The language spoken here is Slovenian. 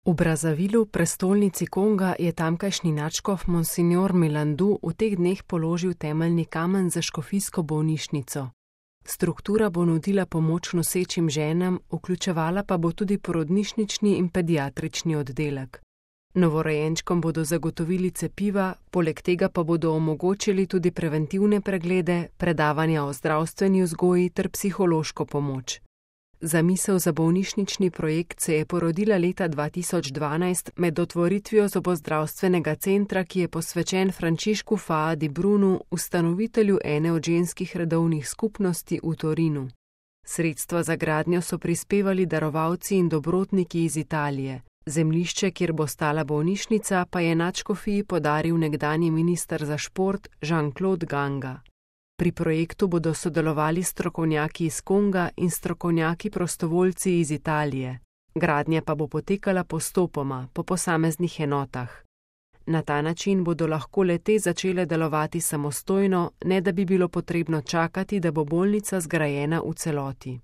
V Brazzavilu, prestolnici Konga, je tamkajšnji nadškof Monsignor Milandu v teh dneh položil temeljni kamen za škofijsko bolnišnico. Struktura bo nudila pomoč nosečim ženam, vključevala pa bo tudi porodnišnični in pediatrični oddelek. Novorojenčkom bodo zagotovili cepiva, poleg tega pa bodo omogočili tudi preventivne preglede, predavanja o zdravstveni vzgoji ter psihološko pomoč. Zamisel za bolnišnični projekt se je porodila leta 2012 med otvoritvijo zobozdravstvenega centra, ki je posvečen Frančišku Faa di Brunu, ustanovitelju ene od ženskih redovnih skupnosti v Torinu. Sredstva za gradnjo so prispevali darovalci in dobrotniki iz Italije. Zemljišče, kjer bo stala bolnišnica, pa je nadškofiji podaril nekdanji minister za šport Jean-Claude Ganga. Pri projektu bodo sodelovali strokovnjaki iz Konga in strokovnjaki prostovoljci iz Italije. Gradnja pa bo potekala postopoma, po posameznih enotah. Na ta način bodo lahko le-te začele delovati samostojno, ne da bi bilo potrebno čakati, da bo bolnica zgrajena v celoti.